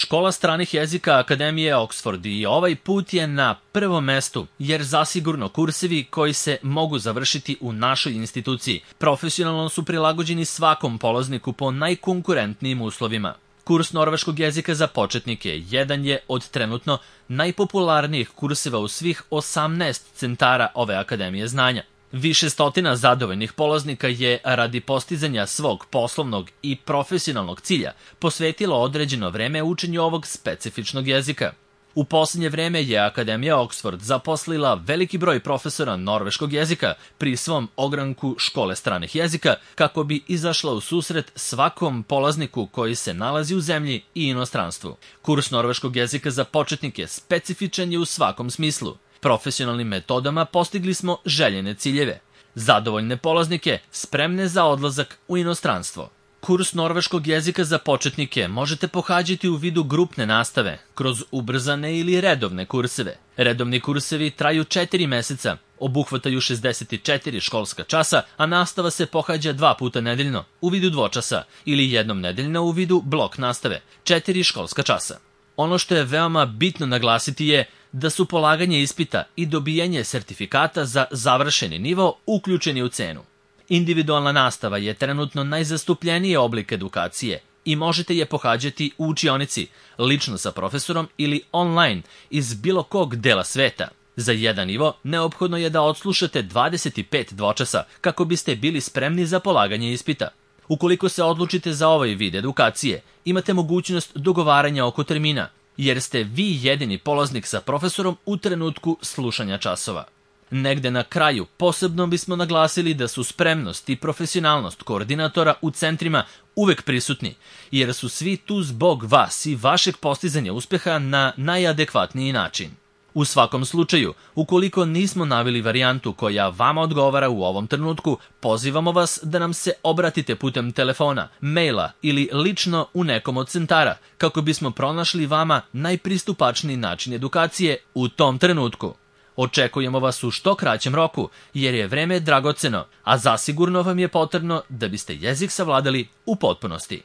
Škola stranih jezika Akademije Oxford i ovaj put je na prvom mestu, jer zasigurno kursevi koji se mogu završiti u našoj instituciji profesionalno su prilagođeni svakom polazniku po najkonkurentnijim uslovima. Kurs norveškog jezika za početnike jedan je od trenutno najpopularnijih kurseva u svih 18 centara ove Akademije znanja. Više stotina zadovoljnih polaznika je radi postizanja svog poslovnog i profesionalnog cilja posvetilo određeno vreme učenju ovog specifičnog jezika. U posljednje vreme je Akademija Oxford zaposlila veliki broj profesora norveškog jezika pri svom ogranku škole stranih jezika kako bi izašla u susret svakom polazniku koji se nalazi u zemlji i inostranstvu. Kurs norveškog jezika za početnike specifičan je u svakom smislu. Profesionalnim metodama postigli smo željene ciljeve. Zadovoljne polaznike spremne za odlazak u inostranstvo. Kurs norveškog jezika za početnike možete pohađati u vidu grupne nastave, kroz ubrzane ili redovne kurseve. Redovni kursevi traju 4 meseca, obuhvataju 64 školska časa, a nastava se pohađa 2 puta nedeljno, u vidu dvočasa, ili jednom nedeljno u vidu blok nastave, 4 školska časa. Ono što je veoma bitno naglasiti je da su polaganje ispita i dobijanje sertifikata za završeni nivo uključeni u cenu. Individualna nastava je trenutno najzastupljeniji oblik edukacije i možete je pohađati u učionici, lično sa profesorom ili online iz bilo kog dela sveta. Za jedan nivo neophodno je da odslušate 25 dvočasa kako biste bili spremni za polaganje ispita. Ukoliko se odlučite za ovaj vid edukacije, imate mogućnost dogovaranja oko termina, jer ste vi jedini polaznik sa profesorom u trenutku slušanja časova. Negde na kraju posebno bismo naglasili da su spremnost i profesionalnost koordinatora u centrima uvek prisutni, jer su svi tu zbog vas i vašeg postizanja uspeha na najadekvatniji način. U svakom slučaju, ukoliko nismo naveli varijantu koja vama odgovara u ovom trenutku, pozivamo vas da nam se obratite putem telefona, maila ili lično u nekom od centara, kako bismo pronašli vama najpristupačniji način edukacije u tom trenutku. Očekujemo vas u što kraćem roku, jer je vreme dragoceno, a zasigurno vam je potrebno da biste jezik savladali u potpunosti.